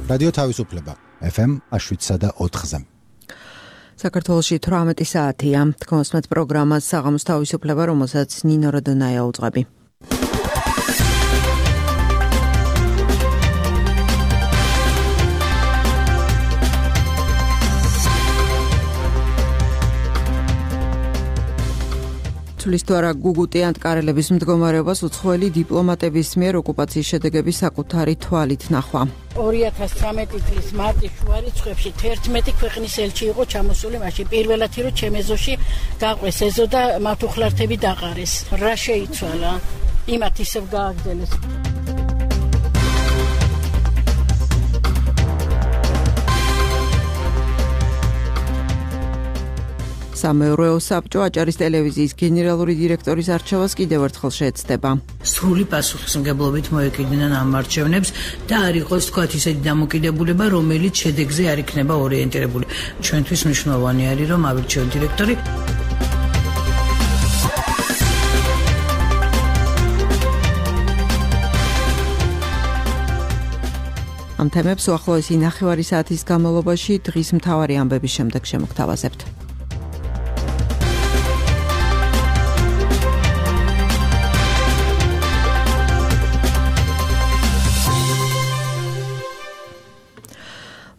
რადიო თავისუფლება FM 7.4-ზე. საქართველოში 18 საათია. თქვენსმეთ პროგრამას საღამოს თავისუფლება, რომელსაც ნინო როდონაია უძღვები. თulistoire გუგუტი ანტკარელების მდგომარეობას უცხოელი დიპლომატების მიერ ოკუპაციის შედეგების საკუთარი თვალით ნახვა. 2013 წლის მარტის შუა რიცხვებში 11 ქვეყნის ელჩი იყო ჩამოსული, მაშინ პირველად რომ ჩემეზოში გაყვეს ეზო და მართუხლართები დაყარეს. რა შეიცვალა? იმათ ისევ გააგრძელეს. სამეურვეო საბჭო აჭარის ტელევიზიის გენერალური დირექტორის არჩევას კიდევ ერთხელ შეეცდება. სრული პასუხისმგებლობით მოეკიდნენ ამ არჩევნებს და არ იყოს თქვათ ისეთი დამოკიდებულება, რომელიც შედეგზე არ იქნება ორიენტირებული. ჩვენთვის მნიშვნელოვანი არის, რომ ავირჩიოთ დირექტორი. ამ თემებს უახლოესი 9 საათის განმავლობაში დღის მთავარი ამბების შემდეგ შემოგთავაზებთ.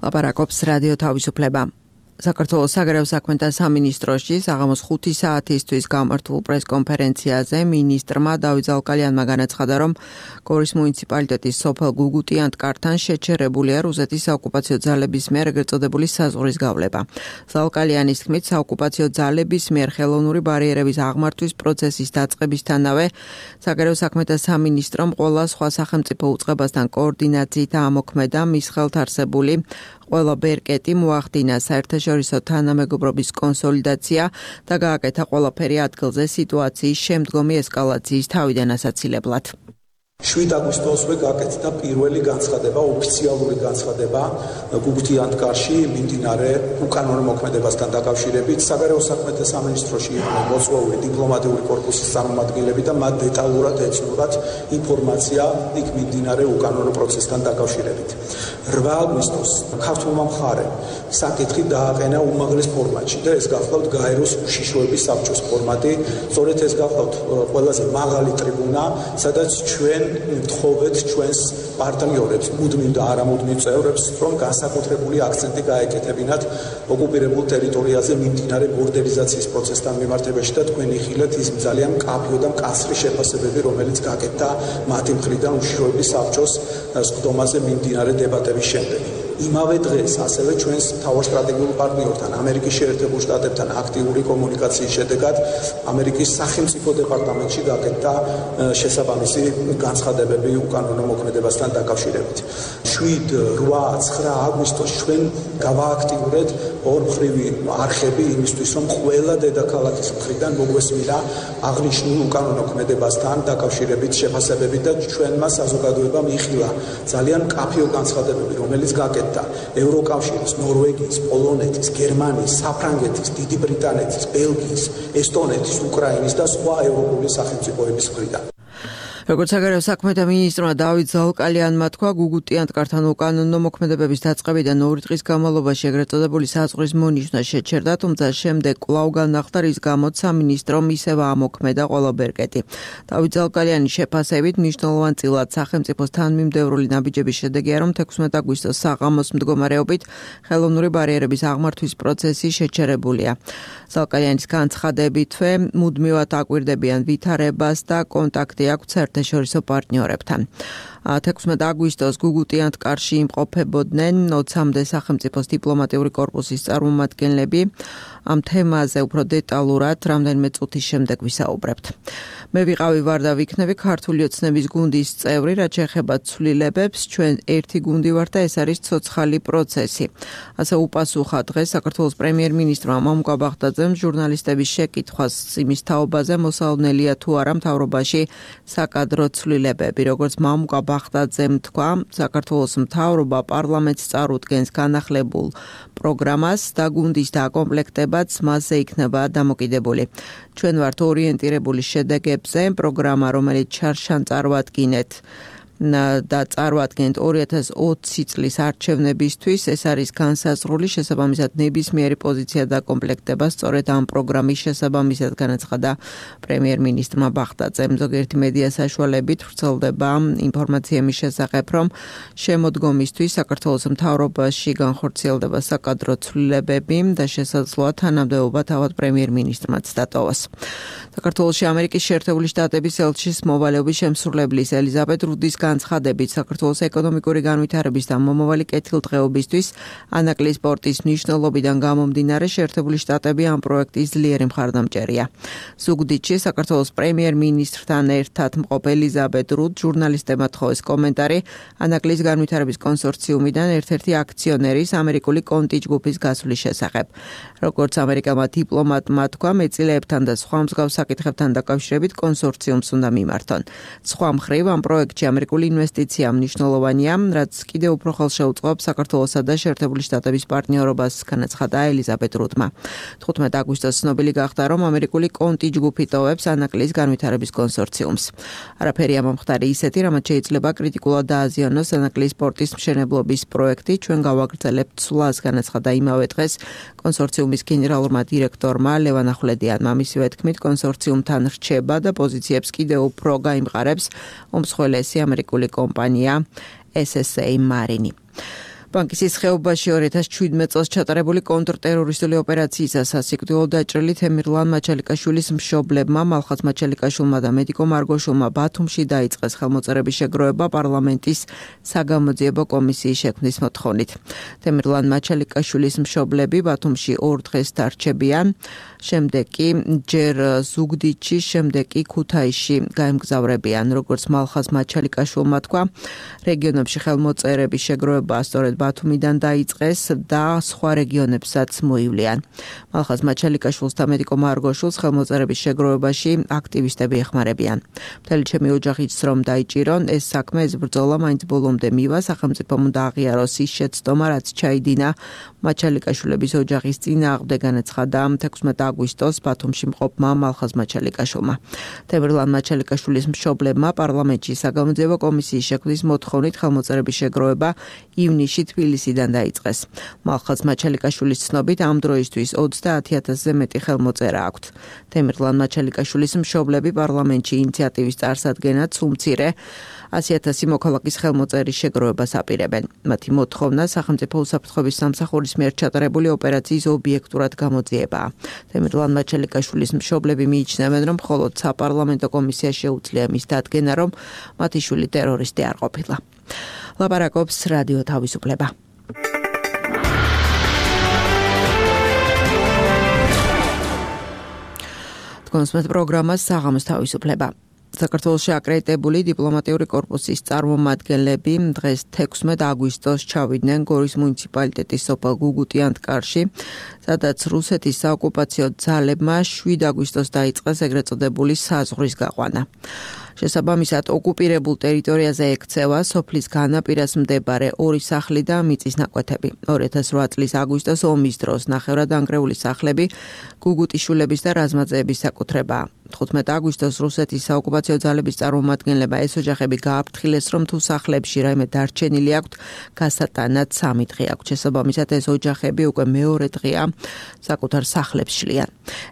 ლაპარაკობს რადიო თავისუფლება. საქართველოს საგარეო საქმეთა სამინისტროში საღამოს 5 საათისთვის გამართულ პრესკონფერენციაზე მინისტრმა დავით ზალკალიანმა განაცხადა, რომ გორის მუნიციპალიტეტის სოფელ გუგუტი ანტკართან შეჩერებულია რუსეთის საოკუპაციო ძალების მიერ ეგრეთ წოდებული საზღვრის გავლება. ზალკალიანის თქმით, საოკუპაციო ძალების მიერ ხელოვნური ბარიერების აღმართვის პროცესის დაწყებისთანავე საგარეო საქმეთა სამინისტრომ ყველა სხვა სახელმწიფო უწყებასთან კოორდინაციით ამოქმედა მის ხელთ არსებული ყველა ბერკეტი მოახდინა საერთაშორისო თანამეგობრობის კონსოლიდაცია და გააკეთა ყველაფერი ადგილზე სიტუაციის შემდგომი ესკალაციის თავიდან ასაცილებლად. 7 აგვისტოსზე გაკეთდა პირველი განცხადება, ოფიციალური განცხადება გუგუტი ანტკარში მიმდინარე უკანონო მოქმედებასთან დაკავშირებით. საგარეო საქმეთა სამინისტროში იყვნენ მოწვეული დიპლომატიური კორპუსის წარმომადგენლები და მათ დეტალურად ეცნობათ ინფორმაცია იქ მიმდინარე უკანონო პროცესთან დაკავშირებით. 8 აგვისტოს ქართულმა მხარემ საკითხი დააყენა უმაღლეს ფორმატში და ეს გახლავთ გაეროს უშიშროების საბჭოს ფორმატი. სწორედ ეს გახლავთ ყველაზე მაღალი ტრიბუნა, სადაც ჩვენ ვთხოვეთ ჩვენს პარტნიორებს, მუდმივ და არამუდმივ წევრებს, რომ განსაკუთრებული აქცენტი გაეკეთებინათ ოკუპირებულ ტერიტორიაზე მიმდინარე ბორდერიზაციის პროცესთან მიმართებაში და თქვენ იხილეთ ის ძალიან მკაფიო და მკაცრი შეფასებები, რომელიც გაკეთდა მათი მხრიდან უშიშროების საბჭოს სხდომაზე მიმდინარე დებატების შემდეგ. იმავე დღეს ასევე ჩვენს მთავარ სტრატეგიულ პარტნიორთან, ამერიკის შეერთებულ შტატებთან აქტიური კომუნიკაციის შედეგად ამერიკის სახელმწიფო დეპარტამენტში გაკეთდა შესაბამისი განცხადებები უკანონო მოქმედებასთან დაკავშირებით. 7-8-9 აგვისტოს ჩვენ გავააქტიურეთ ორმხრივი არხები იმისთვის, რომ ყველა დედაქალაქის მხრიდან მოგვესმინა აღნიშნულ უკანონო მოქმედებასთან დაკავშირებით შეფასებები და ჩვენმა საზოგადოებამ იხილა ძალიან მკაფიო განცხადებები, რომელიც გაკეთდა ევროკავშირის, ნორვეგიის, პოლონეთის, გერმანიის, საფრანგეთის, დიდი ბრიტანეთის, ბელგიის, ესტონეთის, უკრაინის და სხვა ევროპული სახელმწიფოების მხრიდან. როგორც საგარეო საქმეთა მინისტრმა დავით ზალკალიანმა თქვა, გუგუტი ანტკართან უკანონო მოქმედებების დაწყებიდან 2 დღის განმავლობაში ეგრეთ წოდებული საზღვრის მონიშნა შეჩერდა, თუმცა შემდეგ კვლავ განახდა, რის გამოც სამინისტრომ ისევ ამოქმედა ყველა ბერკეტი. დავით ზალკალიანის შეფასებით მნიშვნელოვანწილად სახელმწიფოს თანმიმდევრული ნაბიჯების შედეგია, რომ 16 აგვისტოს საღამოს მდგომარეობით ხელოვნური ბარიერების აღმართვის პროცესი შეჩერებულია. ზალკალიანის განცხადებითვე მუდმივად აკვირდებიან ვითარებას და კონტაქტი აქვთ საერთაშორისო პარტნიორებთან. 16 აგვისტოს გუგუტი ანტკარში იმყოფებოდნენ 20-მდე სახელმწიფოს დიპლომატიური კორპუსის წარმომადგენლები. ამ თემაზე უფრო დეტალურად რამდენიმე წუთის შემდეგ ვისაუბრებთ. მე ვიყავი ვარ და ვიქნები ქართული ოცნების გუნდის წევრი, რაც შეეხება ცვლილებებს, ჩვენ ერთი გუნდი ვართ და ეს არის ცოცხალი პროცესი. ასე უპასუხა დღეს საქართველოს პრემიერ-მინისტრმა მამუკა ბაღდაძემ ჟურნალისტების შეკითხვას იმის თაობაზე, მოსალოდნელია თუ არა მთავრობაში საკადრო ცვლილებები. როგორც მამუკა ბაღდაძემ თქვა, საქართველოს მთავრობა პარლამენტს წარუდგენს განახლებულ პროგრამას და გუნდის დაკომპლექტებაც მასზე იქნება დამოკიდებული. ჩვენ ვართ ორიენტირებული შედეგებზე, პროგრამა, რომელიც ჩარშან წარვადგინეთ და წარმოადგენთ 2020 წლის არჩევნებისთვის. ეს არის განსაზღვრული, შესაბამისად ნებისმიერი პოზიცია და კომპლექტება სწორედ ამ პროგრამის შესაბამისად განაცხადა პრემიერ-მინისტრმა ბაღდაძემ. ზოგიერთი მედია საშუალებით ვრცელდება ინფორმაცია იმის შესახებ, რომ შემოდგომისთვის საქართველოს მთავრობაში განხორციელდება საკადრო ცვლილებები და შესაძლოა თანამდებობა თავად პრემიერ-მინისტრმაც დატოვოს. საქართველოში ამერიკის შეერთებული შტატების ელჩის მოვალეობის შემსრულებლის ელიზაბეთ რუდის განცხადებით საქართველოს ეკონომიკური განვითარების და მომავალი კეთილდღეობისთვის ანაკლის პორტის მნიშვნელობიდან გამომდინარე შეერთებული შტატები ამ პროექტის ძლიერი მხარდამჭერია. ზუგდიდში საქართველოს პრემიერ-მინისტრთან ერთად მყოფ ელიზაბეთ რუდ ჟურნალისტებმა თხოვეს კომენტარი ანაკლის განვითარების კონსორციუმიდან ერთ-ერთი აქციონერის ამერიკული კონტი ჯგუფის გასვლის შესახებ. როგორც ამერიკელმა დიპლომატმა თქვა, მეწილეებთან და სხვა მსგავს საკითხებთან დაკავშირებით კონსორციუმს უნდა მიმართონ. სხვა მხრივ ამ პროექტში ამერიკული ინვესტიცია მნიშვნელოვანია, რაც კიდევ უფრო ხელშეუწყობს საქართველოსა და შეერთებული შტატების პარტნიორობას, განაცხადა ელიზაბეთ რუდმა. 15 აგვისტოს ცნობილი გახდა, რომ ამერიკული კონტი ჯგუფი ტოვებს ანაკლის განვითარების კონსორციუმს. არაფერი ამომხდარი ისეთი, რამაც შეიძლება კრიტიკულად დააზიანოს ანაკლის პორტის მშენებლობის პროექტი, ჩვენ გავაგრძელებთ ცვლას, განაცხადა იმავე დღეს კონსორციუმის გენერალურმა დირექტორმა ლევან ახვლედიანმა. მისივე თქმით, კონსორციუმთან რჩება და პოზიციებს კიდევ უფრო გაიმყარებს უმსხვილესი ამერიკული კომპანია SSA მარინი. ბანკის ხეობაში 2017 წელს ჩატარებული კონტრტერორისტული ოპერაციისას სასიკვდილო დაჭრილი თემირლან მაჩალიკაშვილის მშობლებმა, მალხაზ მაჩალიკაშვილმა და მედიკო მარგოშვილმა ბათუმში დაიწყეს ხელმოწერების შეგროვება პარლამენტის საგამოძიებო კომისიის შექმნის მოთხოვნით. თემირლან მაჩალიკაშვილის მშობლები ბათუმში 2 დღეს დარჩებიან, შემდეგ კი ჯერ ზუგდიდში, შემდეგ კი ქუთაისში გაემგზავრებიან. როგორც მალხაზ მაჩალიკაშვილმა თქვა, რეგიონებში ხელმოწერების შეგროვება სწორედ ბათუმიდან დაიწყეს და სხვა რეგიონებსაც მოივლიან. მალხაზ მაჩალიკაშვილს და მედიკო მარგოშვილს ხელმოწერების შეგროვებაში აქტივისტები ეხმარებიან. მთელი ჩემი ოჯახი იცს, რომ დაიჭირონ ეს საქმე, ეს ბრძოლა მაინც ბოლომდე მივა, სახელმწიფომ უნდა აღიაროს ის შეცდომა, რაც ჩაიდინა მაჩალიკაშვილების ოჯახის წინააღმდეგ, განაცხადა 16 აგვისტოს ბათუმში მყოფმა მალხაზ მაჩალიკაშვილმა. თემირლან მაჩალიკაშვილის მშობლებმა პარლამენტში საგამოძიებო კომისიის შექმნის მოთხოვნით ხელმოწერების შეგროვება ივნისში თბილისიდან დაიწყეს. მალხაზ მაჩალიკაშვილის ცნობით ამ დროისთვის 30,000-ზე მეტი ხელმოწერა აქვთ. თემირლან მაჩალიკაშვილის მშობლები პარლამენტში ინიციატივის წარსადგენად სულ-მცირე 100,000 მოქალაქის ხელმოწერის შეგროვებას აპირებენ. მათი მოთხოვნა სახელმწიფო უსაფრთხოების სამსახურის მიერ ჩატარებული ოპერაციის ობიექტურად გამოძიებაა. თემირლან მაჩალიკაშვილის მშობლები მიიჩნევენ, რომ მხოლოდ საპარლამენტო კომისია შეუძლია მის დადგენა, რომ მათი შვილი ტერორისტი არ ყოფილა. ლაპარაკობს რადიო თავისუფლება. თქვენს პროგრამას საღამოს თავისუფლება. საქართველოში აკრედიტებული დიპლომატიური კორპუსის წარმომადგენლები დღეს 16 აგვისტოს ჩავიდნენ გორის მუნიციპალიტეტის სოფელ გუგუტიანთკარში, სადაც რუსეთის საოკუპაციო ძალებმა 7 აგვისტოს დაიწყეს ეგრეთ წოდებული საზღვრის გაყვანა. შესაბამისად, ოკუპირებულ ტერიტორიაზე ექცევა სოფლის განაპირას მდებარე 2 სახლი და მიწის ნაკვეთები. 2008 წლის აგვისტოს ომის დროს ნახევრადანგრეული სახლები გუგუტიშვილების და რაზმაძეების საკუთრებაა. 15 აგვისტოს რუსეთის საოკუპაციო ძალების წარმომადგენლებმა ეს ოჯახები გააფრთხილეს, რომ თუ სახლებში რაიმე დარჩენილი აქვთ, გასატანად 3 დღე აქვთ. შესაბამისად, ეს ოჯახები უკვე მეორე დღეა საკუთარ სახლებს შლიან.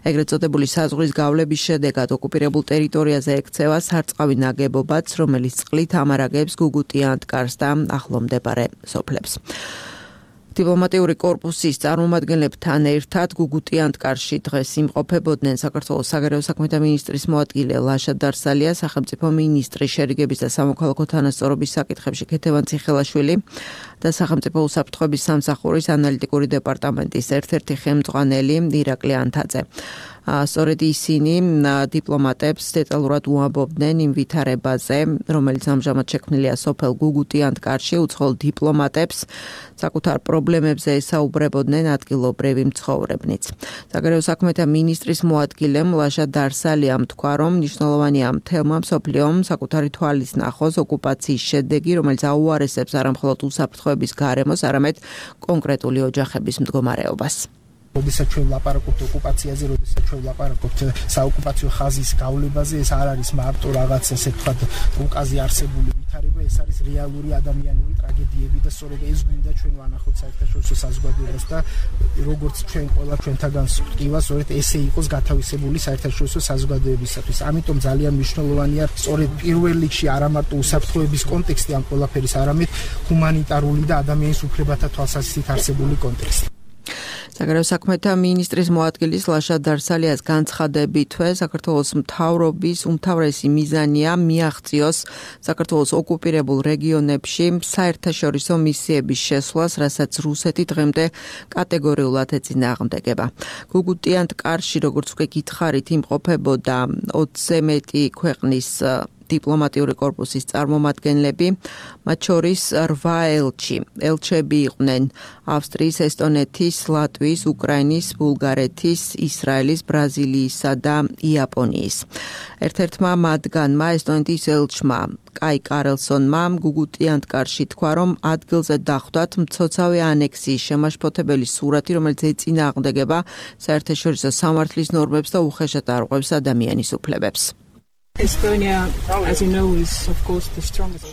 ეგრეთ წოდებული საზღვრის გავლების შედეგად ოკუპირებულ ტერიტორიაზე ექცევა სარწყავი ნაგებობაც, რომელიც წყლით ამარაგებს გუგუტიანთკარს და ახლო მდებარე სოფლებს. დიპლომატიური კორპუსის წარმომადგენლებთან ერთად გუგუტიანთკარში დღეს იმყოფებოდნენ საქართველოს საგარეო საქმეთა მინისტრის მოადგილე ლაშა დარსალია, სახელმწიფო მინისტრი შერიგების და სამოქალაქო თანასწორობის საკითხებში ქეთევან ციხელაშვილი და სახელმწიფო უსაფრთხოების სამსახურის ანალიტიკური დეპარტამენტის ერთ-ერთი ხელმძღვანელი ირაკლი ანთაძე. სწორედ ისინი დიპლომატებს დეტალურად უამბობდნენ იმ ვითარებაზე, რომელიც ამჟამად შექმნილია სოფელ გუგუტიანთკარში, უცხოელ დიპლომატებს საკუთარ პრობლემებზე ესაუბრებოდნენ ადგილობრივი მცხოვრებნიც. საგარეო საქმეთა მინისტრის მოადგილემ ლაშა დარსალიამ თქვა, რომ მნიშვნელოვანია მთელმა მსოფლიომ საკუთარი თვალის ნახოს ოკუპაციის შედეგი, რომელიც აუარესებს არამხოლოდ უსაფრთხოების გარემოს, არამედ კონკრეტული ოჯახების მდგომარეობას. როდესაც ჩვენ ვლაპარაკობთ ოკუპაციაზე, როდესაც ჩვენ ვლაპარაკობთ საოკუპაციო ხაზის გავლებაზე, ეს არ არის მარტო რაღაც ესე ვთქვათ რუკაზე არსებული განვითარება, ეს არის რეალური ადამიანური ტრაგედიები და სწორედ ეს გვინდა ჩვენ ვანახოთ საერთაშორისო საზოგადოებას და როგორც ჩვენ ყველა ჩვენთაგან ვთქვა, სწორედ ესე იყოს გათავისებული საერთაშორისო საზოგადოებისათვის. ამიტომ ძალიან მნიშვნელოვანია სწორედ პირველ რიგში არა მარტო უსაფრთხოების კონტექსტი ამ ყველაფერის, არამედ ჰუმანიტარული და ადამიანის უფლებათა თვალსაზრისით არსებული კონტექსტი. საგარეო საქმეთა მინისტრის მოადგილის ლაშა დარსალიას განცხადებითვე საქართველოს მთავრობის უმთავრესი მიზანია მიაღწიოს საქართველოს ოკუპირებულ რეგიონებში საერთაშორისო მისიების შესვლას, რასაც რუსეთი დღემდე კატეგორიულად ეწინააღმდეგება. გუგუტიანთ კარში, როგორც უკვე გითხარით, იმყოფებოდა 20-ზე მეტი ქვეყნის დიპლომატიური კორპუსის წარმომადგენლები, მათ შორის 8 ელჩი. ელჩები იყვნენ ავსტრიის, ესტონეთის, ლატვიის, უკრაინის, ბულგარეთის, ისრაელის, ბრაზილიისა და იაპონიის. ერთ-ერთმა მათგანმა, ესტონეთის ელჩმა კაი კარლსონმა გუგუტიანთკარში თქვა, რომ ადგილზე დახვდათ მცოცავი ანექსიის შემაშფოთებელი სურათი, რომელიც ეწინააღმდეგება საერთაშორისო სამართლის ნორმებს და უხეშად არღვევს ადამიანის უფლებებს.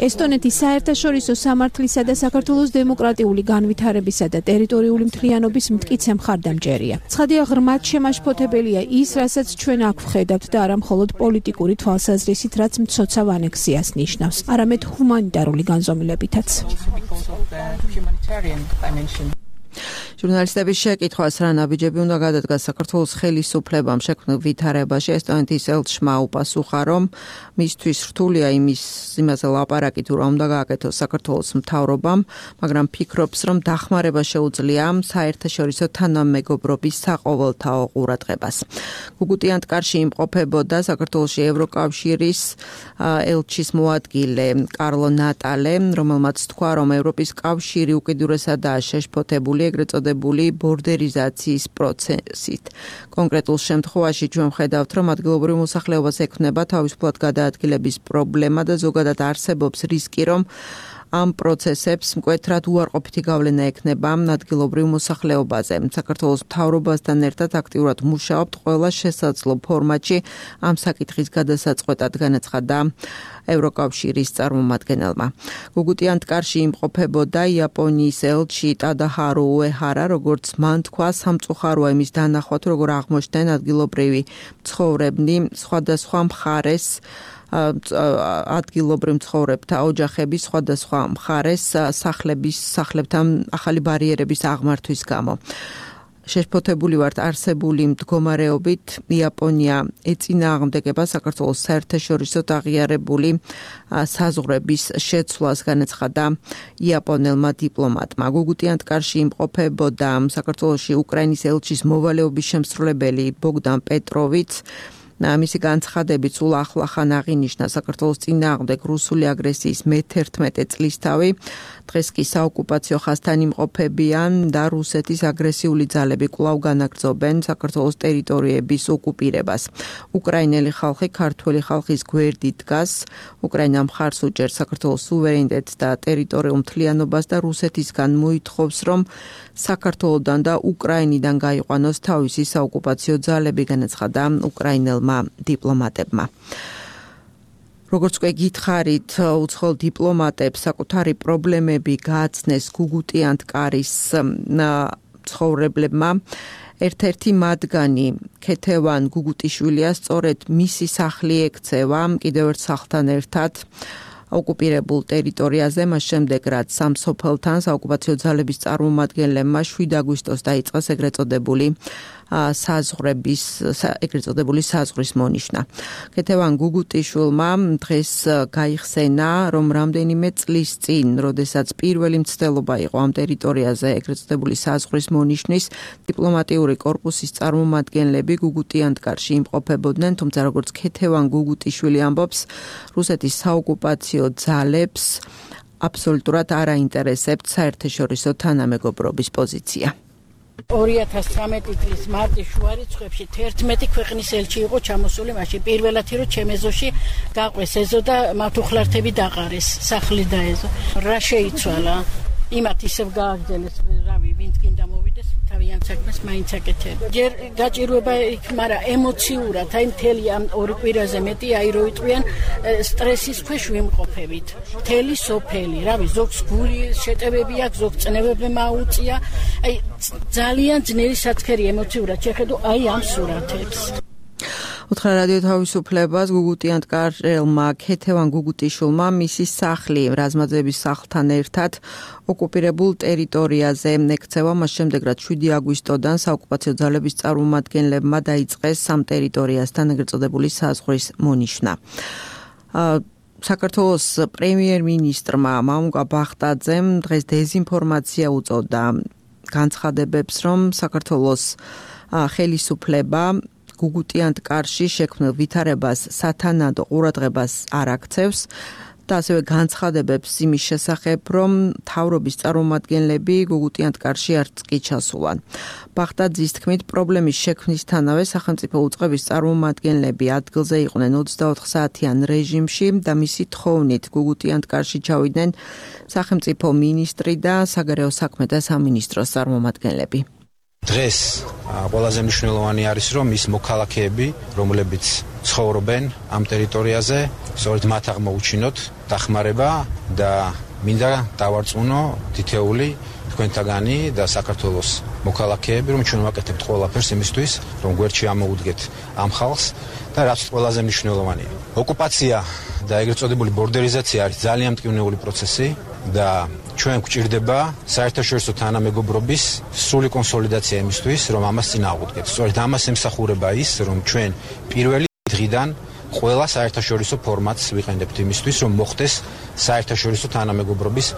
ესტონეთი საერთაშორისო სამართლისა და საქართველოს დემოკრატიული განვითარებისა და ტერიტორიული მთლიანობის მტკიცე მხარდამჭერია. ცხადია, ღრმად შემაშფოთებელია ის, რასაც ჩვენ აქ ვხედავთ და არა მხოლოდ პოლიტიკური თვალსაზრისით, რაც მცოცავ ანექსიას ნიშნავს, არამედ ჰუმანიტარული განზომილებითაც. ჟურნალისტების შეკითხვას რა ნაბიჯები უნდა გადადგას საქართველოს ხელისუფლებამ შექმნილ ვითარებაში, ესტონეთის ელჩმა უპასუხა, რომ მისთვის რთულია იმაზე ლაპარაკი თუ რა უნდა გააკეთოს საქართველოს მთავრობამ, მაგრამ ფიქრობს, რომ დახმარება შეუძლია საერთაშორისო თანამეგობრობის საყოველთაო ყურადღებას. გუგუტიანთკარში იმყოფებოდა საქართველოში ევროკავშირის ელჩის მოადგილე კარლო ნატალე, რომელმაც თქვა, რომ ევროპის კავშირი უკიდურესადაა შეშფოთებული ეგრეთ წოდებული ბორდერიზაციის პროცესით. კონკრეტულ შემთხვევაში ჩვენ ვხედავთ, რომ ადგილობრივ მოსახლეობას ექმნება თავისუფლად გადაადგილების პრობლემა და ზოგადად არსებობს რისკი, რომ ამ პროცესებს მკვეთრად უარყოფითი გავლენა ექნება ადგილობრივ მოსახლეობაზე. საქართველოს მთავრობასთან ერთად აქტიურად მუშაობთ ყველა შესაძლო ფორმატში ამ საკითხის გადასაწყვეტად, განაცხადა ევროკავშირის წარმომადგენელმა. გუგუტიანთკარში იმყოფებოდა იაპონიის ელჩი ტადაჰარო უეჰარა, როგორც მან თქვა, სამწუხაროა იმის დანახვა, თუ როგორ აღმოჩნდნენ ადგილობრივი მცხოვრებნი სხვადასხვა მხარეს ადგილობრივ მცხოვრებთა ოჯახების სხვადასხვა მხარეს სახლებთან ახალი ბარიერების აღმართვის გამო. შეშფოთებული ვართ არსებული მდგომარეობით, იაპონია ეწინააღმდეგება საქართველოს საერთაშორისოდ აღიარებული საზღვრების შეცვლას, განაცხადა იაპონელმა დიპლომატმა. გუგუტიანთკარში იმყოფებოდა საქართველოში უკრაინის ელჩის მოვალეობის შემსრულებელი ბოგდან პეტროვიც. მისი განცხადებით სულ ახლახან აღინიშნა საქართველოს წინააღმდეგ რუსული აგრესიის მე-11 წლისთავი. დღეს კი საოკუპაციო ხაზთან იმყოფებიან და რუსეთის აგრესიული ძალები კვლავ განაგრძობენ საქართველოს ტერიტორიების ოკუპირებას. უკრაინელი ხალხი ქართველი ხალხის გვერდით დგას. უკრაინა მხარს უჭერს საქართველოს სუვერენიტეტს და ტერიტორიულ მთლიანობას და რუსეთისგან მოითხოვს, რომ საქართველოსთან და უკრაინიდან გაიყვანოს თავისი საოკუპაციო ძალები, განაცხადა უკრაინელმა დიპლომატებმა. როგორც უკვე გითხარით, უცხოელ დიპლომატებს საკუთარი პრობლემები გააცნეს გუგუტიანთკარის მცხოვრებლებმა. ერთ-ერთი მათგანი ქეთევან გუგუტიშვილია სწორედ მისი სახლი ექცევა კიდევ ერთ სახლთან ერთად ოკუპირებულ ტერიტორიაზე, მას შემდეგ რაც სამსოფელთან საოკუპაციო ძალების წარმომადგენლებმა 7 აგვისტოს დაიწყეს ეგრეთ წოდებული საზღვრის მონიშნა. ქეთევან გუგუტიშვილმა დღეს გაიხსენა, რომ რამდენიმე წლის წინ, როდესაც პირველი მცდელობა იყო ამ ტერიტორიაზე ეგრეთ წოდებული საზღვრის მონიშნის, დიპლომატიური კორპუსის წარმომადგენლები გუგუტიანთკარში იმყოფებოდნენ, თუმცა როგორც ქეთევან გუგუტიშვილი ამბობს, რუსეთის საოკუპაციო ძალებს აბსოლუტურად არ აინტერესებთ საერთაშორისო თანამეგობრობის პოზიცია. 2019 წლის მარტის შუა რიცხვებში 11 ქვეყნის ელჩი იყო ჩამოსული, მაშინ პირველად რომ ჩემეზოში გაყვეს ეზო და მათ უხლართები დაყარეს, სახლი და ეზო. რა შეიცვალა? იმათ ისევ გააგრძელეს, რავი, ვინც კიდე მოვიდეს, თავი ძალიან საქმეს მაინც აკეთებ. ჯერ გაჭირვება იქ, მაგრამ ემოციურად, აი მთელი ამ ორი კვირაზე მეტი აი რო იტყვიან სტრესის ქვეშ ვიმყოფებით. მთელი სოფელი, რავი, ზოგს გული შეტევები აქვს, ზოგ წნევები მაუწია. აი ძალიან ძნელი საქმეა ემოციურად შეხედო აი ამ სურათებს. უთხრა რადიო თავისუფლებას გუგუტიანთ კარელმა ქეთევან გუგუტიშვილმა მისი სახლი რაზმაძეების სახლთან ერთად ოკუპირებულ ტერიტორიაზე ექცევა მას შემდეგ რაც 7 აგვისტოდან საოკუპაციო ძალების წარმომადგენლებმა დაიწყეს სამ ტერიტორიასთან ეგრეთ წოდებული საზღვრის მონიშნა. საქართველოს პრემიერ-მინისტრმა მამუკა ბახტაძემ დღეს დეზინფორმაცია უწოდა განცხადებებს, რომ საქართველოს ხელისუფლება გუგუტიანთ კარში შექმნილ ვითარებას სათანადო ყურადღებას არ აქცევს და ასევე განცხადებებს იმის შესახებ, რომ მთავრობის წარმომადგენლები გუგუტიანთ კარში არც კი ჩასულან. ბახტაძის თქმით, პრობლემის შექმნისთანავე სახელმწიფო უწყების წარმომადგენლები ადგილზე იყვნენ 24 საათიან რეჟიმში და მისი თხოვნით გუგუტიანთ კარში ჩავიდნენ სახელმწიფო მინისტრი და საგარეო საქმეთა სამინისტროს წარმომადგენლები. დღეს ყველაზე მნიშვნელოვანი არის, რომ ის მოქალაქეები, რომლებიც ცხოვრობენ ამ ტერიტორიაზე, სწორედ მათ აღმოუჩინოთ დახმარება და მინდა დავარწმუნო თითეული თქვენთაგანი და საქართველოს მოქალაქეები, რომ ჩვენ ვაკეთებთ ყველაფერს იმისთვის, რომ გვერდში ამოუდგეთ ამ ხალხს და რაც ყველაზე მნიშვნელოვანია. ოკუპაცია და ეგრეთ წოდებული ბორდერიზაცია არის ძალიან მტკივნეული პროცესი და ჩვენ გვჭირდება საერთაშორისო თანამეგობრობის სრული კონსოლიდაცია იმისთვის, რომ ამას წინ ავუდგეთ. სწორედ ამას ემსახურება ის, რომ ჩვენ პირველი დღიდან ყველა საერთაშორისო ფორმატს ვიყენებთ იმისთვის, რომ მოხდეს საერთაშორისო თანამეგობრობის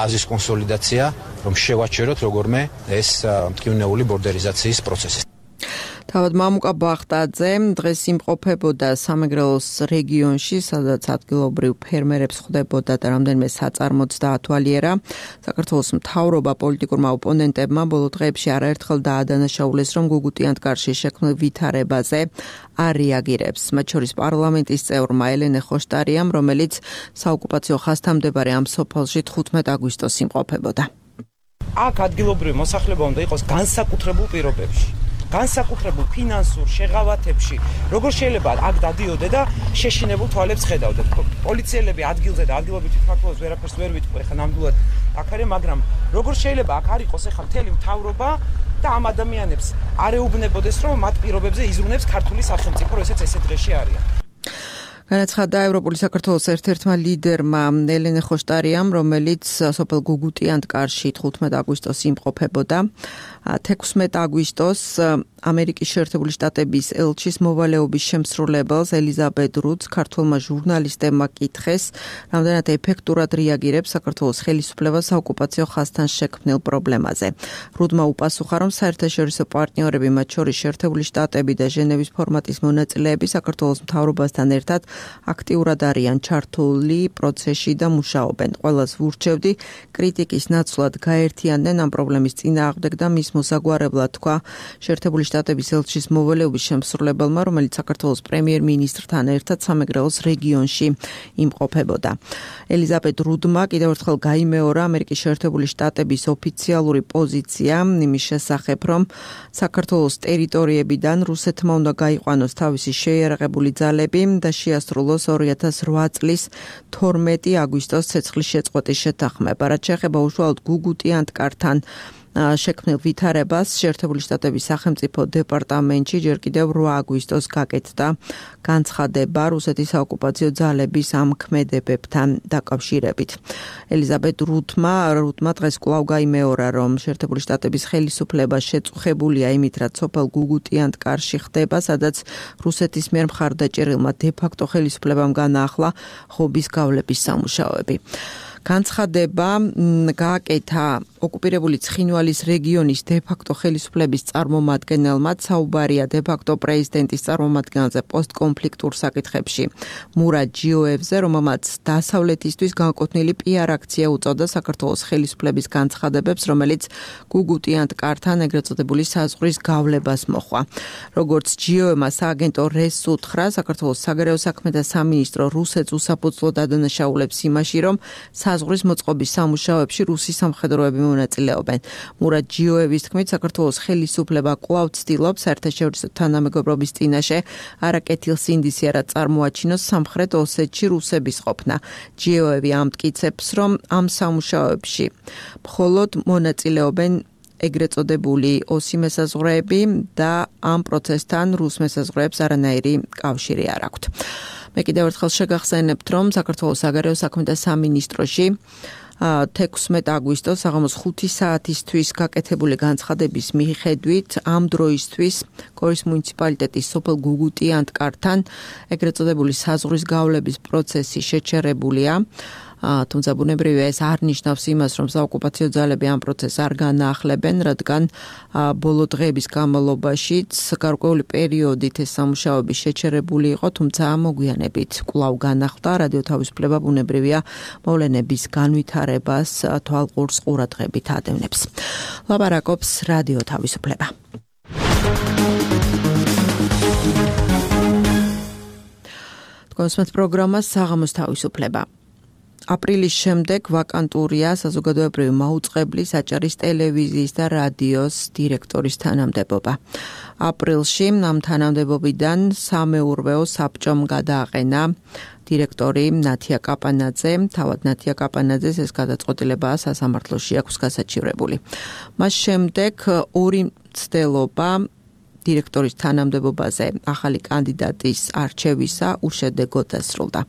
აზრის კონსოლიდაცია, რომ შევაჩეროთ როგორმე ეს მტკივნეული ბორდერიზაციის პროცესი. თავად მამუკა ბახტაძე დღეს იმყოფებოდა სამეგრელოს რეგიონში, სადაც ადგილობრივ ფერმერებს ხვდებოდა და რამდენიმე საწარმოც დაათვალიერა. საქართველოს მთავრობა პოლიტიკურმა ოპონენტებმა ბოლო დღეებში არაერთხელ დაადანაშაულეს, რომ გუგუტიანთ კარში შექმნილ ვითარებაზე არ რეაგირებს. მათ შორის პარლამენტის წევრმა ელენე ხოშტარიამ, რომელიც საოკუპაციო ხაზთან მდებარე ამ სოფელში 15 აგვისტოს იმყოფებოდა. აქ ადგილობრივი მოსახლეობა უნდა იყოს განსაკუთრებულ პირობებში. განსაკუთრებულ ფინანსურ შეღავათებში, როგორ შეიძლება აქ დადიოდე და შეშინებულ თვალებს ხედავდე. პოლიციელები ადგილზე და ადგილობრივი თვითმმართველობის ვერაფერს ვერ ვიტყვი, ხა ნამდვილად აქ არის, მაგრამ როგორ შეიძლება აქ არ იყოს ახლა მთელი მთავრობა და ამ ადამიანებს არ ეუბნებოდეს, რომ მათ პირობებზე იზრუნებს ქართული სახელმწიფო, როესაც ესე დღეში არიან. განაცხადა ევროპული საქართველოს ერთ-ერთმა ლიდერმა ელენე ხოშტარიამ, რომელიც სოფელ გუგუტიანთ კარში 15 აგვისტოს იმყოფებოდა. 16 აგვისტოს ამერიკის შეერთებული შტატების ელჩის მოვალეობის შემსრულებელს ელიზაბეთ რუდს ქართველმა ჟურნალისტებმა კითხეს, რამდენად ეფექტურად რეაგირებს საქართველოს ხელისუფლება საოკუპაციო ხაზთან შექმნილ პრობლემაზე. რუდმა უპასუხა, რომ საერთაშორისო პარტნიორები, მათ შორის შეერთებული შტატები და ჟენევის ფორმატის მონაწილეები საქართველოს მთავრობასთან ერთად აქტიურად არიან ჩართული პროცესში და მუშაობენ. ყველას ვურჩევდი კრიტიკის ნაცვლად გაერთიანდნენ ამ პრობლემის წინააღმდეგ და მის მოსაგვარებლად თქვა შეერთებული შტატების ელჩის მოვალეობის შემსრულებელმა, რომელიც საქართველოს პრემიერ-მინისტრთან ერთად სამეგრელოს რეგიონში იმყოფებოდა. ელიზაბეთ რუდმა კიდევ ერთხელ გაიმეორა ამერიკის შეერთებული შტატების ოფიციალური პოზიცია იმის შესახებ, რომ საქართველოს ტერიტორიებიდან რუსეთმა უნდა გაიყვანოს თავისი შეიარაღებული ძალები და შეასრულოს 2008 წლის 12 აგვისტოს ცეცხლის შეწყვეტის შეთანხმება. რაც შეეხება უშუალოდ გუგუტიანთ კართან შექმნილ ვითარებას, შეერთებული შტატების სახელმწიფო დეპარტამენტში ჯერ კიდევ 8 აგვისტოს გაკეთდა განცხადება რუსეთის საოკუპაციო ძალების ამ ქმედებებთან დაკავშირებით. ელიზაბეთ რუდმა დღეს კვლავ გაიმეორა, რომ შეერთებული შტატების ხელისუფლება შეწუხებულია იმით, რაც სოფელ გუგუტიანთ კარში ხდება, სადაც რუსეთის მიერ მხარდაჭერილმა დე-ფაქტო ხელისუფლებამ განაახლა ხობის გავლების სამუშაოები. განცხადება გააკეთა ოკუპირებული ცხინვალის რეგიონის დე-ფაქტო ხელისუფლების წარმომადგენელმა, საუბარია დე-ფაქტო პრეზიდენტის წარმომადგენელზე პოსტკონფლიქტურ საკითხებში მურად ჯიოევზე, რომელმაც დასავლეთისთვის განკუთვნილი პიარ აქცია უწოდა საქართველოს ხელისუფლების განცხადებებს, რომელიც გუგუტიანთ კართან ეგრეთ წოდებული საზღვრის გავლებას მოჰყვა. როგორც ჯიოევმა სააგენტო რესს უთხრა, საქართველოს საგარეო საქმეთა სამინისტრო რუსეთს უსაფუძვლოდ ადანაშაულებს იმაში, რომ საზღვრის მოწყობის სამუშაოებში რუსი სამხედროები მონაწილეობენ. მურად ჯიოევის თქმით, საქართველოს ხელისუფლება კვლავ ცდილობს საერთაშორისო თანამეგობრობის წინაშე არაკეთილ სინდისიერად წარმოაჩინოს სამხრეთ ოსეთში რუსების ყოფნა. ჯიოევი ამტკიცებს, რომ ამ სამუშაოებში მხოლოდ მონაწილეობენ ეგრეთ წოდებული ოსი მესაზღვრეები და ამ პროცესთან რუს მესაზღვრეებს არანაირი კავშირი არ აქვთ. მე კიდევ ერთხელ შეგახსენებთ, რომ საქართველოს საგარეო საქმეთა სამინისტროში 16 აგვისტოს საღამოს 5 საათისთვის გაკეთებული განცხადების მიხედვით ამ დროისთვის გორის მუნიციპალიტეტის სოფელ გუგუტი-ანტკართან ეგრეთ წოდებული საზღვრის გავლების პროცესი შეჩერებულია. თუმცა ბუნებრივია ეს არ ნიშნავს იმას, რომ საოკუპაციო ძალები ამ პროცესს არ განაახლებენ, რადგან ბოლო დღეების განმავლობაშიც გარკვეული პერიოდით ეს სამუშაოები შეჩერებული იყო, თუმცა მოგვიანებით კვლავ განახლდა. რადიო თავისუფლება ბუნებრივია მოვლენების განვითარებას თვალყურს ყურადღებით ადევნებს. ლაპარაკობს რადიო თავისუფლება. თქვენს პროგრამას საღამოს თავისუფლება. აპრილის შემდეგ ვაკანტურია საზოგადოებრივი მაუწყებლის, აჭარის ტელევიზიის და რადიოს დირექტორის თანამდებობა. აპრილში ამ თანამდებობიდან სამეურვეო საბჭომ გადააყენა დირექტორი ნათია კაპანაძე. თავად ნათია კაპანაძეს ეს გადაწყვეტილება სასამართლოში აქვს გასაჩივრებული. მას შემდეგ ორი მცდელობა დირექტორის თანამდებობაზე ახალი კანდიდატის არჩევისა უშედეგოდ დასრულდა.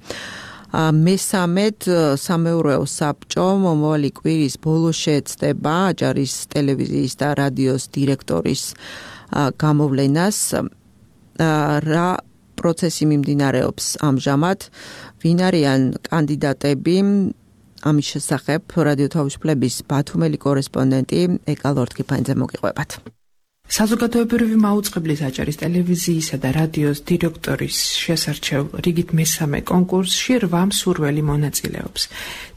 მესამედ სამეურვეო საბჭო მომავალი კვირის ბოლოს შეეცდება აჭარის ტელევიზიის და რადიოს დირექტორის გამოვლენას. რა პროცესი მიმდინარეობს ამჟამად, ვინ არიან კანდიდატები, ამის შესახებ რადიო თავისუფლების ბათუმელი კორესპონდენტი ეკა ლორთქიფანიძე მოგიყვებათ. საზოგადოებრივი მაუწყებლის აჭარის ტელევიზიისა და რადიოს დირექტორის შესარჩევ რიგით მესამე კონკურსში 8 მსურველი მონაწილეობს.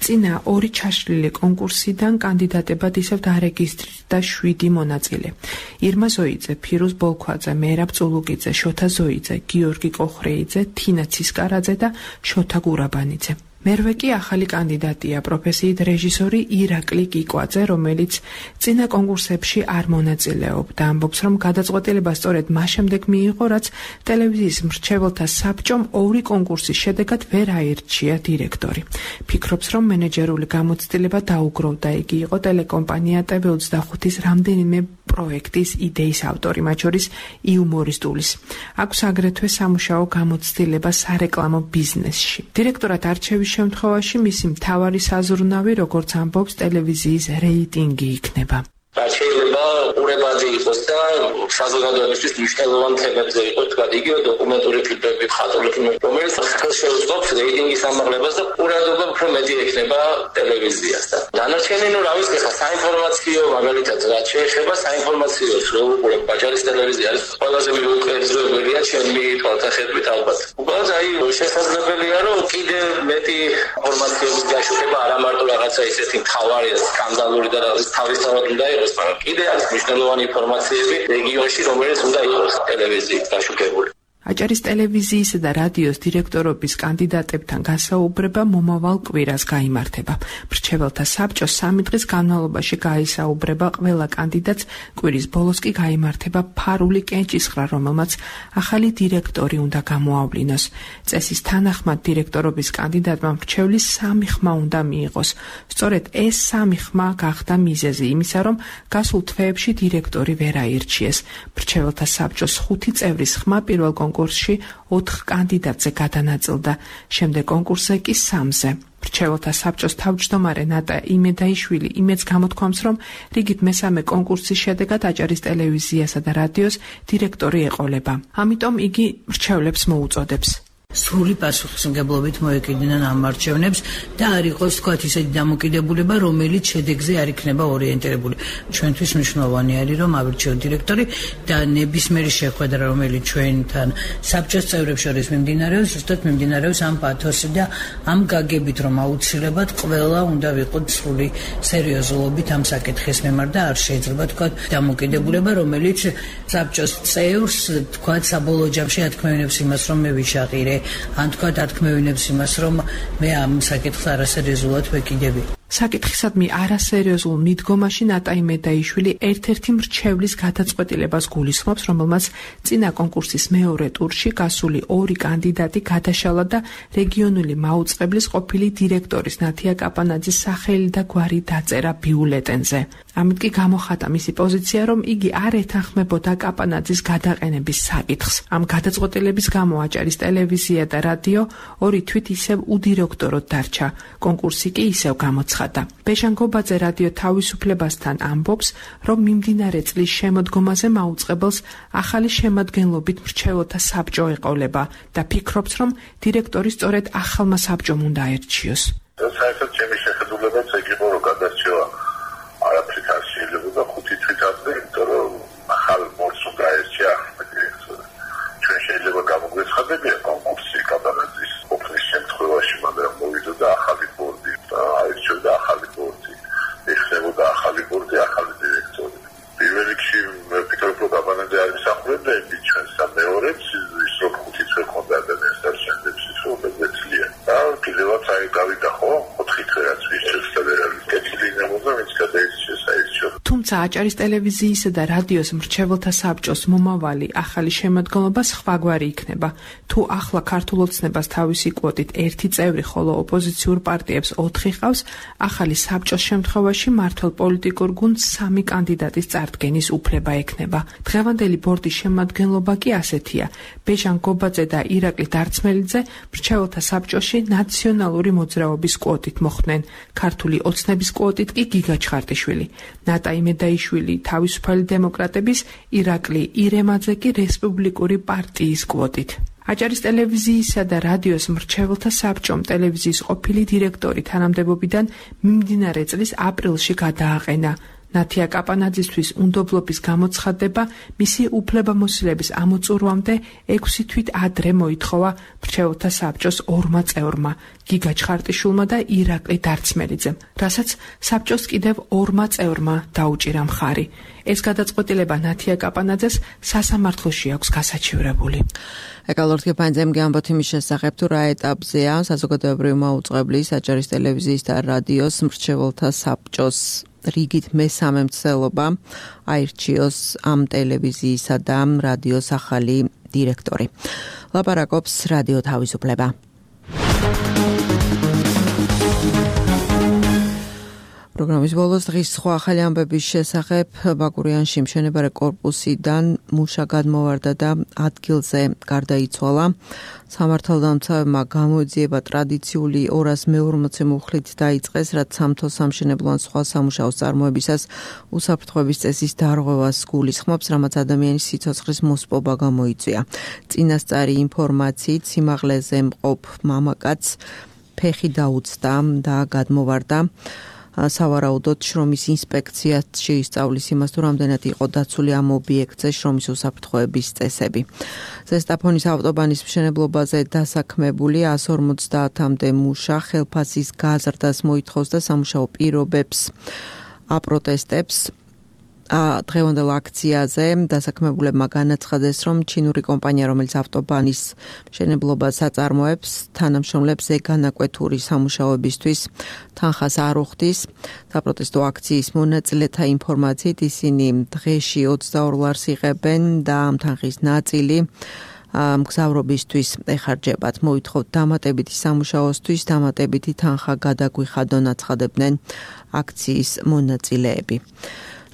წინა 2 ჩაშლილი კონკურსიდან კანდიდატებად ისევ დარეგისტრირდა 7 მონაწილე. ირმა ზოიძე, ფირუზ ბოლქვაძე, მერაბ წულუკიძე, შოთა ზოიძე, გიორგი კოხრეიძე, თინა ცისკარაძე და შოთა გურაბანიძე. მერვე კი ახალი კანდიდატია პროფესიით რეჟისორი ირაკლი კიკვაძე, რომელიც წინა კონკურსებში არ მონაწილეობდა. ამბობს, რომ გადაწყვეტილება სწორედ მას შემდეგ მიიღო, რაც ტელევიზიის მრჩეველთა საბჭომ 2 კონკურსის შედეგად ვერ აირჩია დირექტორი. ფიქრობს, რომ მენეჯერული გამოცდილება დაუგროვდა. იგი იყო ტელეკომპანია TV25-ის რამდენიმე პროექტის იდეის ავტორი, მათ შორის იუმორისტულის. აქვს აგრეთვე სამუშაო გამოცდილება სარეკლამო ბიზნესში. დირექტორად არჩევის შემთხვევაში მისი მთავარი საზრუნავი, როგორც ამბობს, ტელევიზიის რეიტინგი იქნება. შეიძლება ყურებადი იყოს და საზოგადოებისთვის მნიშვნელოვან თემებზე იყოს, თქვა იგივე დოკუმენტური ფილმები, მხატვრული ფილმები, რომელიც ხელშეუწყობს რეიტინგის ამაღლებას და ყურადღება უფრო მეტი ექნება ტელევიზიას. დანარჩენი რა ვიცი, ხა საინფორმაციო, მაგალითად, რაც შეეხება საინფორმაციოს, რო უყურებ აჭარის ტელევიზია, არის ყველაზე მიუღებელია ჩემი თვალსაჩინით ალბათ. უბრალოდ შესაძლებელია, რომ კიდევ მეტი ინფორმაციების გაშუქება არა მარტო რაღაცა ისეთი მთავარი სკანდალური და თავისთავად უნდა იყოს, მაგრამ კიდე არის მნიშვნელოვანი ინფორმაციები რეგიონში, რომელიც უნდა იყოს ტელევიზიით გაშუქებული. აჭარის ტელევიზიისა და რადიოს დირექტორობის კანდიდატებთან გასაუბრება მომავალ კვირას გაიმართება. მრჩეველთა საბჭო 3 დღის განმავლობაში გაისაუბრება ყველა კანდიდატს, კვირის ბოლოს კი გაიმართება ფარული კენჭისხრა, რომელმაც ახალი დირექტორი უნდა გამოავლინოს. წესის თანახმად დირექტორობის კანდიდატმა მრჩევლის 3 ხმა უნდა მიიღოს. სწორედ ეს 3 ხმა გახდა მიზეზი იმისა, რომ გასულ თვეებში დირექტორი ვერ აირჩიეს. მრჩეველთა საბჭოს 5 წევრის ხმა პირველ კონკურსში 4 კანდიდატზე გადანაწილდა, შემდეგ კონკურსზე კი 3-ზე. მრჩეველთა საბჭოს თავმჯდომარე ნატა იმედაიშვილი იმედს გამოთქვამს, რომ რიგით მესამე კონკურსის შედეგად აჭარის ტელევიზიასა და რადიოს დირექტორი ეყოლება. ამიტომ იგი მრჩევლებს მოუწოდებს. სრული პასუხისმგებლობით მოეკიდნენ ამ არჩევნებს და არ იყოს თქვათ ისეთი დამოკიდებულება, რომელიც შედეგზე არ იქნება ორიენტირებული. ჩვენთვის მნიშვნელოვანი არის, რომ ავირჩიოთ დირექტორი და ნებისმიერი შეხვედრა, რომელიც ჩვენთან საბჭოს წევრებს შორის მიმდინარეობს, ზუსტად მიმდინარეობს ამ პათოსი და ამ გაგებით, რომ აუცილებლად ყველა უნდა ვიყოთ სრული სერიოზულობით ამ საკითხის მიმართ და არ შეიძლება თქვათ დამოკიდებულება, რომელიც საბჭოს წევრს თქვათ საბოლოო ჯამში ათქმევინებს იმას, რომ მე ვიშაყირე ან თქვა დათქმევინებს იმას, რომ მე ამ საკითხს არასერიოზულად ვეკიდები. საკითხისადმი არასერიოზულ მიდგომაში ნატაი მედაიშვილი ერთ-ერთი მრჩევლის გადაწყვეტილებას გულისხმობს, რომელმაც წინა კონკურსის მეორე ტურში გასული ორი კანდიდატი გადაშალა და რეგიონული მაუწყებლის ყოფილი დირექტორის ნათია კაპანაძის სახელი და გვარი დაწერა ბიულეტენზე. ამით კი გამოხატა მისი პოზიცია, რომ იგი არ ეთანხმებოდა კაპანაძის გადაყენების საკითხს. ამ გადაწყვეტილების გამო აჭარის ტელევიზია და რადიო ორი თვით ისევ უდირექტოროდ დარჩა. კონკურსი კი ისევ გამოცხადა. ბეჟან გობაძე რადიო თავისუფლებასთან ამბობს, რომ მიმდინარე წლის შემოდგომაზე მაუწყებელს ახალი შემადგენლობით მრჩეველთა საბჭო ეყოლება და ფიქრობს, რომ დირექტორი სწორედ ახალმა საბჭომ უნდა აერჩიოს. საერთოდ ჩემი შეხედულებაც ეგ იყო, რომ გადარჩევა არაფრით არ შეიძლებოდა 5 თვით ადრე, იმიტომ რომ ახალ ბორცს უნდა აერჩია დირექტორი. ჩვენ შეიძლება გამოგვეცხადებიან კონკურსი კაპანაძის ყოფნის შემთხვევაში, მაგრამ მოვიდოდა ახალი ბორდი და აირჩიოდა ახალი ბორდი. ეხლებოდა ახალი ბორდი, ახალი დირექტორი. პირველ რიგში ვფიქრობ, რომ კაპანაძე არ ისახურებდა იმით ჩვენს და მეორეც ის რომ 5 თვე ქონდა ადამიანს და შემდეგს ის რომ მეცლია. და კიდევაც აი გავიდა ხო 4 თვე რაც ვისწრებს და ვერავის კეთილი ნებოდა ვინც გადაიქცეს აირჩიო. თუმცა აჭარის ტელევიზიისა და რადიოს მრჩეველთა საბჭოს მომავალი ახალი შემადგენლობა სხვაგვარი იქნება. თუ ახლა ქართულ ოცნებას თავისი კვოტით 1 წევრი, ხოლო ოპოზიციურ პარტიებს 4 ყავს, ახალი საბჭოს შემთხვევაში მართლ პოლიტიკურ გუნდს 3 კანდიდატის წარდგენის უფლება ექნება. დღევანდელი ბორდის შემადგენლობა კი ასეთია: ბეჟან გობაძე და ირაკლი დარცმელიძე მრჩეველთა საბჭოში ნაციონალური მოძრაობის კვოტით მოხვდნენ, ქართული ოცნების კვოტით კი გიგა ჩხარტიშვილი. ნატაი მედაიშვილი თავისუფალი დემოკრატების, ირაკლი ირემაძე კი რესპუბლიკური პარტიის კვოტით. აჭარის ტელევიზიისა და რადიოს მრჩეველთა საბჭომ ტელევიზიის ყოფილი დირექტორი თანამდებობიდან მიმდინარე წლის აპრილში გადააყენა. ნათია კაპანაძისთვის უნდობლობის გამოცხადება მისი უფლებამოსილების ამოწურვამდე 6 თვით ადრე მოითხოვა მრჩეველთა საბჭოს 2 წევრმა, გიგა ჩხარტიშვილმა და ირაკლი დარცმელიძემ, რასაც საბჭოს კიდევ 2 წევრმა დაუჭირა მხარი. ეს გადაწყვეტილება ნათია კაპანაძეს სასამართლოში აქვს გასაჩივრებული. ეკალორთი პანძემგე ამბობთ იმის შესახებ, თუ რა ეტაპზეა საზოგადოებრივი მაუწყებლის აჭარის ტელევიზიის და რადიოს მრჩეველთა საბჭოს რიგით მესამე მცდელობა აირჩიოს ამ ტელევიზიისა და რადიოს ახალი დირექტორი. ლაპარაკობს რადიო თავისუფლება. პროგრამის ბოლოს დღის სხვა ახალი ამბების შესახებ ბაკურიანში მშენებარე კორპუსიდან მუშა გადმოვარდა და ადგილზე გარდაიცვალა. სამართალდამცავებმა გამოძიება ტრადიციული 240 მუხლით დაიწყეს, რაც სამთო სამშენებლო ან სხვა სამუშაოს წარმოებისას უსაფრთხოების წესის დარღვევას გულისხმობს, რამაც ადამიანის სიცოცხლის მოსპობა გამოიწვია. წინასწარი ინფორმაციით სიმაღლეზე მყოფ მამაკაცს ფეხი დაუცდა და გადმოვარდა. სავარაუდოდ შრომის ინსპექცია შეისწავლის იმას, თუ რამდენად იყო დაცული ამ ობიექტზე შრომის უსაფრთხოების წესები. ზესტაფონის ავტობანის მშენებლობაზე დასაქმებული 150-მდე მუშა ხელფასის გაზრდას მოითხოვს და სამუშაო პირობებს აპროტესტებს. დღევანდელ აქციაზე დასაქმებულებმა განაცხადეს, რომ ჩინური კომპანია, რომელიც ავტობანის მშენებლობას აწარმოებს, თანამშრომლებს ზეგანაკვეთური სამუშაოებისთვის თანხას არ უხდის. საპროტესტო აქციის მონაწილეთა ინფორმაციით ისინი დღეში 22 ლარს იღებენ და ამ თანხის ნაწილი მგზავრობისთვის ეხარჯებათ. მოითხოვთ დამატებითი სამუშაოსთვის დამატებითი თანხა გადაგვიხადონ, აცხადებდნენ აქციის მონაწილეები.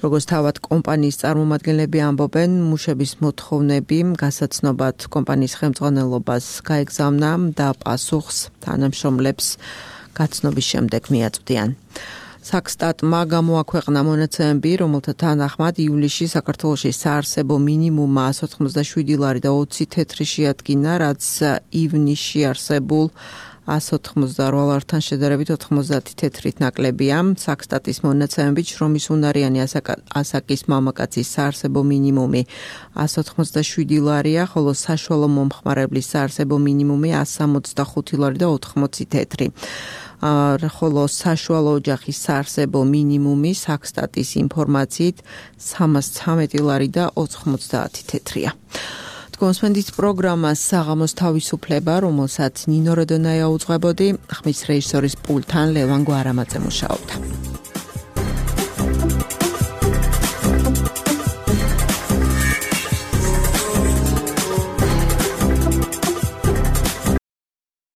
როგორც თავად კომპანიის წარმომადგენლები ამბობენ, მუშების მოთხოვნები გასაცნობად კომპანიის ხელმძღვანელობას გაეგზავნა და პასუხს თანამშრომლებს გაცნობის შემდეგ მიაწვდიან. საქსტატმა გამოაქვეყნა მონაცემები, რომელთა თანახმად ივლისში საქართველოში საარსებო მინიმუმმა 187 ლარი და 20 თეთრი შეადგინა, რაც ივნისში არსებულ 188 ლართან შედარებით 90 თეთრით ნაკლებია. საქსტატის მონაცემებით შრომის უნარიანი ასაკის მამაკაცის საარსებო მინიმუმი 187 ლარია, ხოლო საშუალო მომხმარებლის საარსებო მინიმუმი 165 ლარი და 80 თეთრი. ხოლო საშუალო ოჯახის საარსებო მინიმუმი საქსტატის ინფორმაციით 313 ლარი და 90 თეთრია. გონსმენდით პროგრამას საღამოს თავისუფლება, რომელსაც ნინო როდონაია უძღვებოდი, ხმის რეჟისორის პულტთან ლევან გვარამაძე მუშაობდა.